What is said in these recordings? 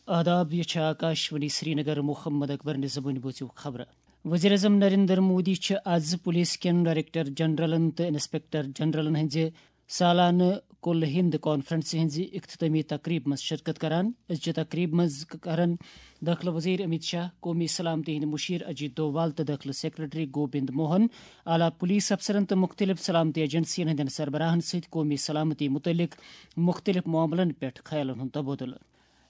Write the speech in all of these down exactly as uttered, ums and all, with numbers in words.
آداب، یہِ چھِ آکاشوانی سرینگر۔ محمد اکبر نظامٕنۍ بوٗزِو خبرٕ۔ وزیر اعظم نریندر مودی چھِ آز پولیس کٮ۪ن ڈائریکٹر جنرلن تہٕ انسپکٹر جنرلن ہٕنٛزِ سالانہٕ کُل ہند کانفرنسہِ ہٕنٛزِ اختتٲمی تقریبہِ منٛز شرکت کران۔ أزچہِ تقریبہِ منٛز کرن دٲخلہٕ وزیر امیت شاہ، قومی سلامتی ہٕنٛدۍ مشیر اجیت ڈووال تہٕ دٲخلہٕ سیکرٹری گوبند موہن، اعلیٰ پولیس افسرن تہٕ مُختٔلِف سلامتی ایجنسین ہٕنٛدٮ۪ن سربراہن سۭتۍ قومی سلامتی مُتعلق مُختٔلِف معاملن پٮ۪ٹھ خیالن ہُنٛد تبادلہٕ۔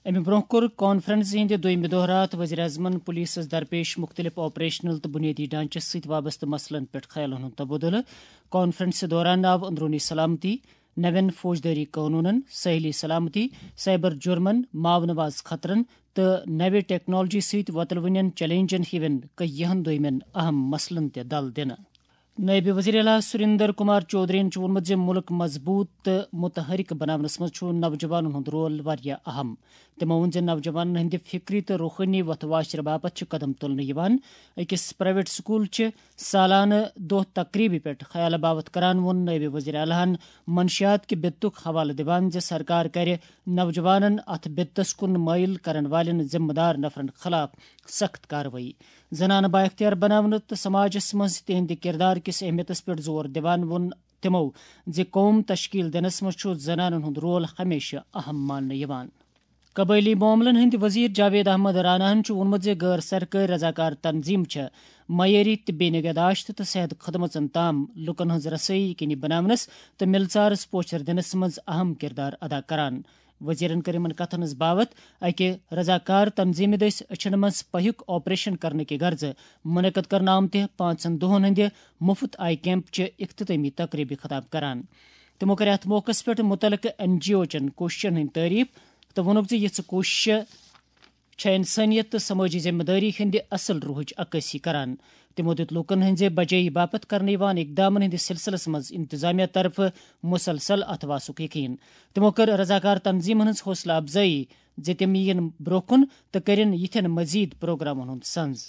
امہِ برونٛہہ کوٚر کانفرنس ہٕنٛدِ دویمہِ دۄہ راتھ وزیر اعظمن پولیسس درپیش مُختٔلِف آپریشنل تہٕ بُنیٲدی ڈھانچس سۭتۍ وابستہٕ مسلن پٮ۪ٹھ خیالن ہُنٛد تبادلہٕ۔ کانفرنسہِ دوران آو اندرونی سلامتی، نوٮ۪ن فوجدٲری قونوٗنن، سٲحلی سلامتی، سائبر جرمن، ماونواز خطرن تہٕ نوِ ٹیکنالوجی سۭتۍ وۄتلوٕنٮ۪ن چیلنجن ہِوٮ۪ن کینٛہَن دویمٮ۪ن اہم مسلن تہِ دل دِنہٕ۔ نٲیِب وزیر اعلیٰ سریندر کمار چودھرین چھُ ووٚنمُت زِ مُلک مضبوٗط تہٕ متحرک بناونس منٛز چھُ نوجوانن ہُنٛد رول واریاہ اہم۔ تِمو ووٚن زِ نوجوانن ہٕنٛدِ فکری تہٕ روحٲنی وتھ واشرٕ باپتھ چھِ قدم تُلنہٕ یِوان۔ أکِس پرائیویٹ سکول چہِ سالانہٕ دۄہ تقریبہِ پٮ۪ٹھ خیال باوتھ کران ووٚن نٲیِب وزیر اعلیٰ ہَن منشیات کہِ بدتُک حوالہٕ دِوان زِ سرکار کرِ نوجوانن اتھ بدتس کُن مٲیِل کرن والٮ۪ن ذمہٕ دار نفرن خلاف سخت کاروٲیی۔ زنانہٕ بااختیار بناونہٕ تہٕ سماجس منٛز تِہنٛدِ کردار کِس اہمیتس پٮ۪ٹھ زور دِوان ووٚن تِمو زِ قوم تشکیل دِنس منٛز چھُ زنانن ہُنٛد رول ہمیشہٕ اہم ماننہٕ یِوان۔ قبٲئلی معاملن ہٕنٛدۍ وزیر جاوید احمد راناہن چھُ ووٚنمُت زِ غٲر سرکٲرۍ رضاکار تنظیمہٕ چھِ معیٲری طبی نگہداشت تہٕ صحت خدمژن تام لوٗکن ہٕنٛز رسٲیی یقینی بناونس تہٕ مِلژارس پوچھر دِنس منٛز اہم کردار ادا کران۔ وزیرن کٔر یِمن کتھن ہٕنٛز باوتھ اکہِ رضاکار تنظیمہِ دٔسۍ أچھن منٛز پہیُک آپریشن کرنہٕ کہِ غرضہٕ منعقد کرنہٕ آمتہِ پانٛژن دۄہن ہٕنٛدِ مُفت آی کیمپ چہِ اختتٲمی تقریبہِ خطاب کران۔ تِمو کٔر اتھ موقعس پٮ۪ٹھ مُتعلقہٕ این جی او چٮ۪ن کوٗششن ہٕنٛدۍ تعریف تہٕ ووٚنُکھ زِ یِژھٕ کوٗششہٕ چھےٚ انسٲنیت تہٕ سمٲجی ذمہٕ دٲری ہٕنٛدِ اصل روحٕچ عکٲسی کران۔ تِمو دیُت لوٗکن ہٕنٛزِ بجٲیی باپتھ کرنہٕ یِوان اقدامن ہٕنٛدِس سلسلس منٛز انتظامیہ طرفہٕ مسلسل اتھواسُک یقین۔ تِمو کٔر رضاکار تنظیمن ہٕنٛز حوصلہٕ افزٲیی زِ تِم یِیِن برٛونٛہہ کُن تہٕ کٔرِن یِتھٮ۪ن مزید پروگرامن ہُنٛد سنز۔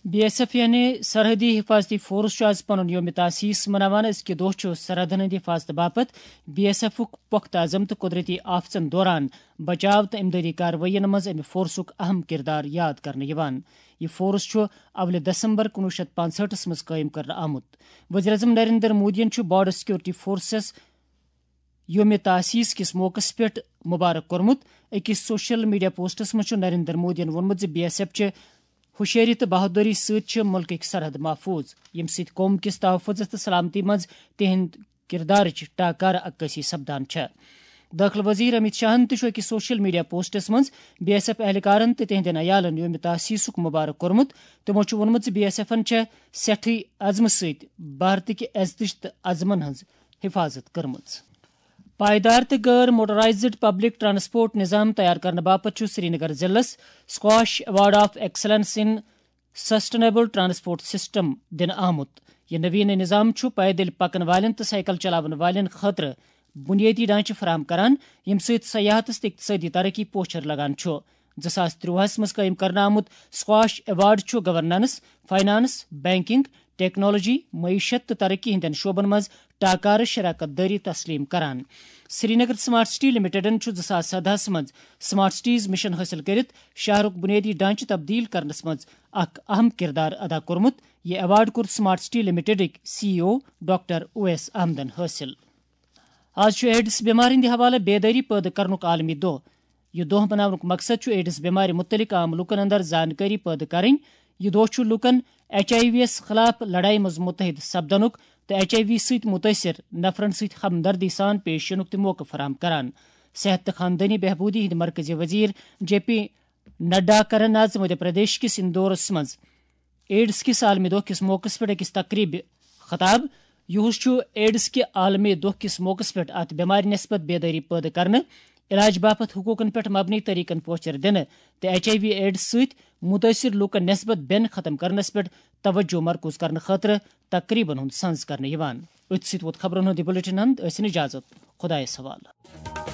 بی ایس ایف یعنی سرحدی حفاظتی فورس چھُ آز پنُن یوم تاسیس مناوان۔ أزکہِ دۄہ چھُ سرحدن ہٕنٛدِ حفاظتہٕ باپتھ بی ایس ایفُک پۄختہٕ عزم تہٕ قدرتی آفتن دوران بچاو تہٕ امدادی کاروٲیین منٛز امہِ فورسُک اہم کردار یاد کرنہٕ یِوان۔ یہِ فورس چھُ اولہِ دسمبر کُنوُہ شیٚتھ پانٛژہٲٹھس منٛز قٲیِم کرنہٕ آمُت۔ وزیر اعظم نریندر مودیَن چھُ بارڈر سیکورٹی فورسز یوم تاسیس کِس موقعس پٮ۪ٹھ مبارک کوٚرمُت۔ أکِس سوشل میڈیا پوسٹس منٛز چھُ نریندر مودیَن ووٚنمُت زِ بی ایس ایف چھِ ہوشیٲری تہٕ بہادری سۭتۍ چھِ مُلکٕکۍ سرحد محفوٗظ، ییٚمہِ سۭتۍ قوم کِس تحفظس تہٕ سلامتی منٛز تِہنٛد کردارٕچ ٹاکارٕ عکٲسی سپدان چھےٚ۔ دٲخلہٕ وزیر امیت شاہن تہِ چھُ أکِس سوشل میڈیا پوسٹس منٛز بی ایس ایف اہلکارن تہٕ تِہنٛدٮ۪ن عیالن یوم تاسیسُک مبارک کوٚرمُت۔ تِمو چھُ ووٚنمُت زِ بی ایس ایفن چھےٚ سٮ۪ٹھٕے عزمہٕ سۭتۍ بھارتٕکہِ عزتٕچ تہٕ عزمن ہٕنٛز حفاظت کٔرمٕژ۔ پائیدار تہٕ غٲر موٹرائزڈ پبلک ٹرانسپورٹ نظام تیار کرنہٕ باپتھ چھُ سرینگر ضلعس squash award of excellence in sustainable transport system دِنہٕ آمُت۔ یہِ نویٖنہٕ نظام چھُ پیدل پکن والٮ۪ن تہٕ سائیکل چلاون والٮ۪ن خٲطرٕ بنیٲدی ڈھانچہٕ فراہم کران، ییٚمہِ سۭتۍ سیاحتس تہٕ اقتصٲدی ترقی پوچھر لگان چھُ۔ زٕ ساس ترٛۆہَس منٛز قٲیِم کرنہٕ آمُت سکواش ایوارڈ چھُ گورننس، فائنانس، بینکنگ، ٹیکنالوجی، معیشت تہٕ ترقی ہٕنٛدٮ۪ن شعبن منٛز ٹاکارٕ شراکت دٲری تسلیم کران۔ سرینگر سمارٹ سٹی لمیٹڈن چھُ زٕ ساس سدہَس منٛز سمارٹ سٹیز مشن حٲصِل کٔرِتھ شہرُک بنیٲدی ڈھانچہٕ تبدیل کرنس منٛز اکھ اہم کردار ادا کوٚرمُت۔ یہِ ایوارڈ کوٚر سمارٹ سٹی لمیٹڈٕکۍ سی ای او ڈاکٹر اویس احمدن حٲصِل۔ آز چھُ ایڈز بٮ۪مارِ ہٕنٛدِ حوالہٕ بیدٲری پٲدٕ کرنُک عالمی دۄہ۔ یہِ دۄہ مناونُک مقصد چھُ ایڈز بٮ۪مارِ مُتعلق عام لوٗکن اندر زانکٲری پٲدٕ کرٕنۍ۔ یہِ دۄہ چھُ لوٗکن ایچ آئی وی یَس خلاف لڑایہِ منٛز مُتحد سپدنُک تہٕ ایچ آئی وی سۭتۍ مُتٲثِر نفرن سۭتۍ ہمدردی سان پیش یِنُک تہِ موقعہٕ فراہم کران۔ صحت تہٕ خاندٲنی بہبوٗدی ہٕنٛدۍ مرکزی وزیر جے پی نڈا کرن آز مدھیہ پردیش کِس اندورس منٛز ایڈز کِس عالمی دۄہ کِس موقعس پٮ۪ٹھ أکِس تقریبہِ خطاب۔ یُہُس چھُ ایڈز کہِ عالمی دۄہ کِس موقعس پٮ۪ٹھ اتھ بٮ۪مارِ نسبت بیدٲری پٲدٕ کرنہٕ، علاج باپتھ حقوقن پٮ۪ٹھ مبنی طریقن پوچھر دِنہٕ تہٕ ایچ آئی وی ایڈز سۭتۍ مُتٲثِر لوٗکن نسبت بٮ۪ن ختم کرنس پٮ۪ٹھ توجہ مرکوز کرنہٕ خٲطرٕ تقریبن ہُنٛد سنز کرنہٕ یِوان۔ أتھۍ سۭتۍ ووت خبرن ہُنٛد یہِ بلیٹن اند۔ ٲسِن اجازت۔ خۄدایس حوالہٕ۔